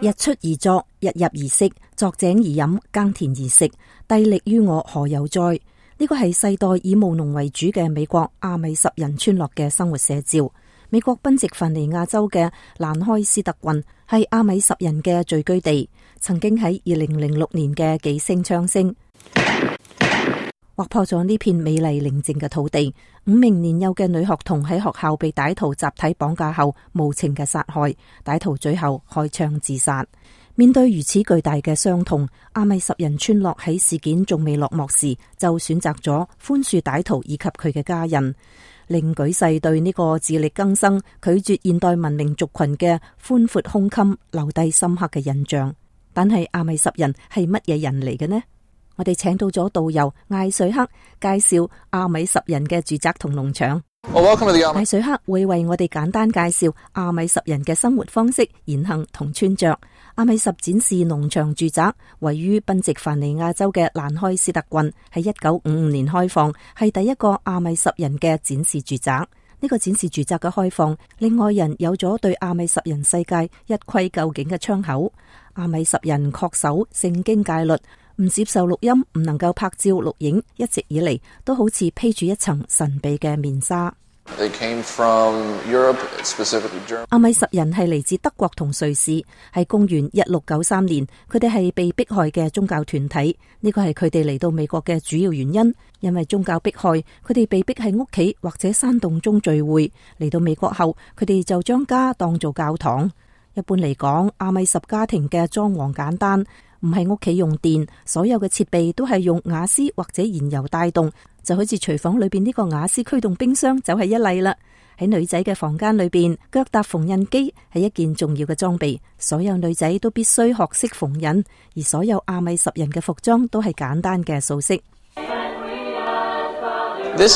日出而作，日入而息，作井而飲，耕田而食，帝力於我何有哉？呢個係世代以務農為主嘅美國阿米什人村落嘅生活寫照。美國賓夕凡尼亞州嘅蘭開斯特郡係阿米什人嘅聚居地，曾經喺2006年嘅幾聲槍聲劃破咗呢片美麗寧靜嘅土地。5名年幼嘅女學童喺學校被歹徒集體綁架後無情嘅殺害，歹徒最後開槍自殺。面對如此巨大嘅傷痛，阿米什人村落喺事件仲未落幕時就選擇咗寬恕歹徒以及佢嘅家人，令舉世對呢個自力更生、拒絕現代文明族群嘅寬闊胸襟留低深刻嘅印象。但係阿米什人係乜嘢人嚟嘅呢？我哋請到咗導遊艾水克介紹阿米什人嘅住宅同農場。艾水克會為我哋簡單介紹阿米什人嘅生活方式、言行同穿着。阿米什展示農場住宅位於賓夕凡尼亞州嘅蘭開斯特郡，喺1955年開放，係第一個阿米什人嘅展示住宅。呢個展示住宅嘅開放，令外人有咗對阿米什人世界一窺究竟嘅窗口。阿米什人恪守聖經戒律，唔接受錄音，唔能夠拍照錄影，一直以嚟都好似披住一層神秘嘅面紗。阿米什人係嚟自德國同瑞士，喺公元1693年，佢哋係被迫害嘅宗教團體。呢個係佢哋嚟到美國嘅主要原因，因為宗教迫害，佢哋被迫喺屋企或者山洞中聚會。嚟到美國後，佢哋就將家當做教堂。一般嚟講，阿米什家庭嘅裝潢簡單，唔係屋企用電，所有嘅設備都係用瓦斯或者燃油帶動，就好似廚房裏邊呢個瓦斯驅動冰箱就係一例啦。喺女仔嘅房間裏邊，腳踏縫紉機係一件重要嘅裝備，所有女仔都必須學識縫紉，而所有阿米什人嘅服裝都係簡單嘅素色。呢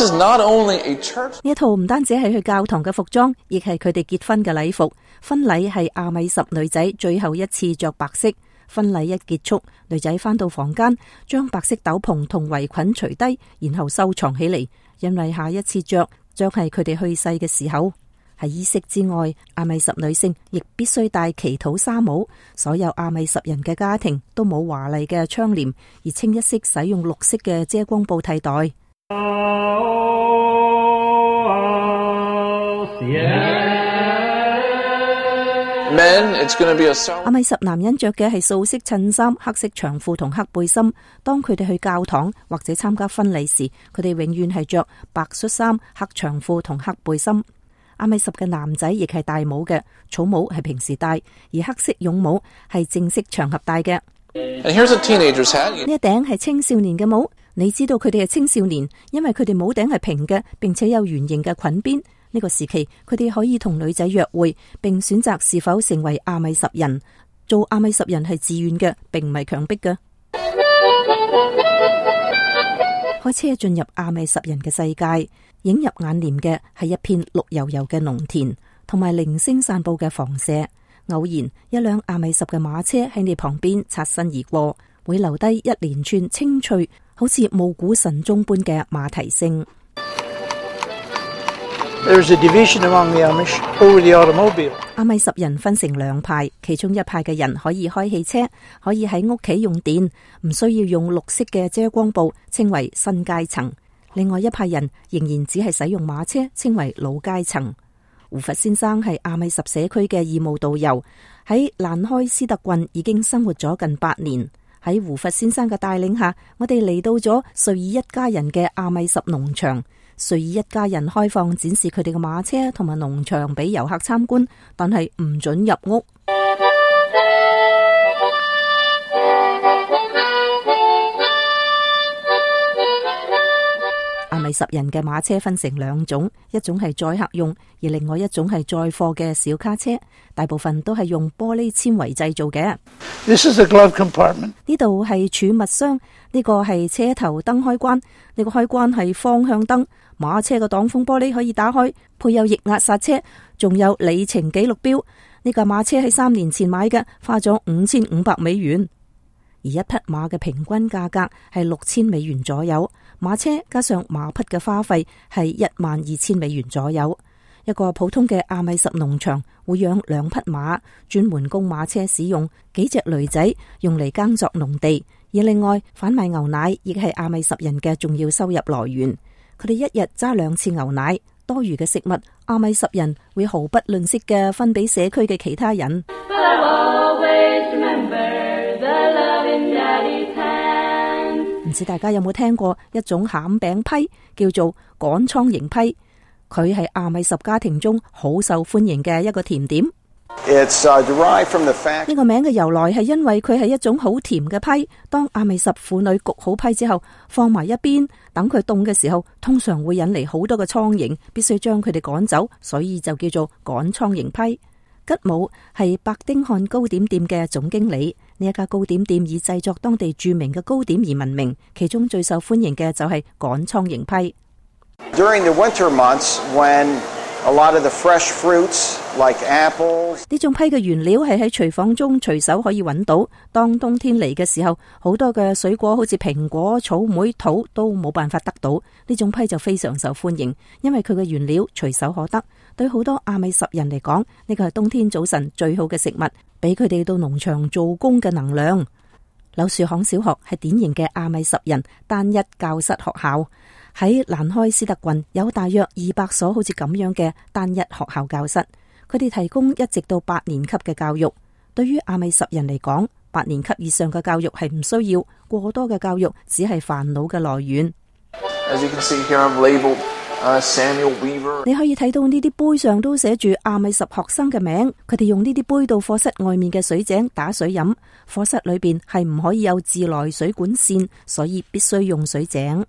一套唔單止係去教堂嘅服裝，亦係佢哋結婚嘅禮服。婚禮係阿米什女仔最後一次着白色。婚禮一結束，女仔返到房間，將白色斗篷同圍裙除低，然後收藏起嚟，因為下一次着將係佢哋去世嘅時候。喺衣飾之外，阿米什女性亦必須戴祈禱紗帽。所有阿米什人嘅家庭都冇華麗嘅窗簾，而清一色使用綠色嘅遮光布替代。阿米什男人着嘅係素色襯衫、黑色長褲同黑背心。當佢哋去教堂或者參加婚禮時，佢哋永遠係着白恤衫、黑長褲同黑背心。阿米什嘅男仔亦係戴帽嘅，草帽係平時戴，而黑色絨帽係正式場合戴嘅。呢一頂係青少年嘅帽。你知道佢哋係青少年，因為佢哋帽頂係平嘅，並且有圓形嘅裙邊。呢個時期，佢哋可以同女仔約會，並選擇是否成為阿米什人。做阿米什人係自願嘅，並唔係強迫嘅。開車進入阿米什人嘅世界，映入眼簾嘅係一片綠油油嘅農田，同埋零星散布嘅房舍。偶然一輛阿米什嘅馬車喺你旁邊擦身而過，會留低一連串清脆，好似暮鼓晨鐘般嘅馬蹄聲。阿米什人分成兩派，其中一派嘅人可以開汽車，可以喺屋企用電，唔需要用綠色嘅遮光布，稱為新階層。另外一派人仍然只係使用馬車，稱為老階層。胡佛先生係阿米什社區嘅義務導遊，喺蘭開斯特郡已經生活咗近8年。喺胡佛先生嘅帶領下，我哋嚟到咗瑞爾一家人嘅阿米什農場。瑞爾一家人開放展示佢哋嘅馬車同埋農場俾遊客參觀，但係唔准入屋。阿米什人嘅馬車分成2種，一種係載客用，而另外一種係載貨嘅小卡車，大部分都係用玻璃纖維製造嘅。呢度係儲物箱，呢個係車頭燈開關，呢個開關係方向燈。馬車嘅擋風玻璃可以打開，配有液壓剎車，仲有里程記錄錶。呢架馬車喺3年前買嘅，花咗5500美元，而一匹馬嘅平均價格係6000美元左右。馬車加上馬匹嘅花費係12000美元左右。一個普通嘅阿米什農場會養2匹馬，專門供馬車使用，幾隻驢仔用嚟耕作農地。而另外販賣牛奶亦係阿米什人嘅重要收入來源。佢哋一日揸2次牛奶，多餘嘅食物阿米什人會毫不吝嗇嘅分俾社區嘅其他人。唔知大家有冇聽過一種餡餅批，叫做趕蒼蠅批。佢係阿米什家庭中好受歡迎嘅一個甜點。呢個名嘅由來係因為佢係一種好甜嘅批。當阿米什婦女焗好批之後，放埋一邊，等佢凍嘅時候，通常會引嚟好多嘅蒼蠅，必須將佢哋趕走，所以就叫做趕蒼蠅批。吉姆係白丁漢糕點店嘅總經理。呢一家糕點店以製作當地著名嘅糕點而聞名，其中最受歡迎嘅就係趕蒼蠅批。During the winter months, when a lot of the fresh fruits like apples， 呢種批嘅原料係喺廚房中隨手可以揾到。當冬天嚟嘅時候，好多嘅水果好似蘋果、草莓、桃都冇辦法得到，呢種批就非常受歡迎，因為佢嘅原料隨手可得。對好多阿米什人嚟講，呢個係冬天早晨最好嘅食物，俾佢哋到農場做工嘅能量。柳樹巷小學係典型嘅阿米什人單一教室學校。喺蘭開斯特郡有大約200所好似咁樣嘅單一學校教室，佢哋提供1直到8年級嘅教育。對於阿米什人嚟講，8年級以上嘅教育係唔需要，過多嘅教育只係煩惱嘅來源。As you can see here, I'm labeled Samuel Weaver。你可以睇到呢啲杯上都寫住阿米什學生嘅名，佢哋用呢啲杯到課室外面嘅水井打水飲。課室裏邊係唔可以有自來水管線，所以必須用水井。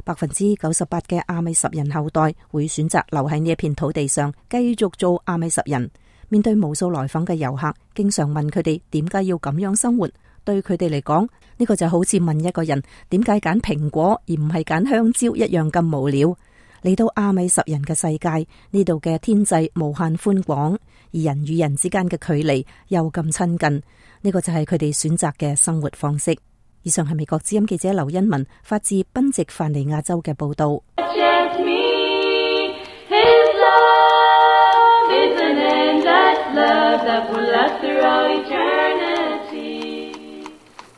98%嘅阿米什人後代會選擇留喺呢一片土地上，繼續做阿米什人。面對無數來訪嘅遊客，經常問佢哋點解要咁樣生活。對佢哋嚟講，呢個就好似問一個人點解揀蘋果而唔係揀香蕉一樣咁無聊。嚟到阿米什人嘅世界，呢度嘅天際無限寬廣，而人與人之間嘅距離又咁親近。呢個就係佢哋選擇嘅生活方式。以上係美國之音記者劉欣文發自賓夕凡尼亞州嘅報道。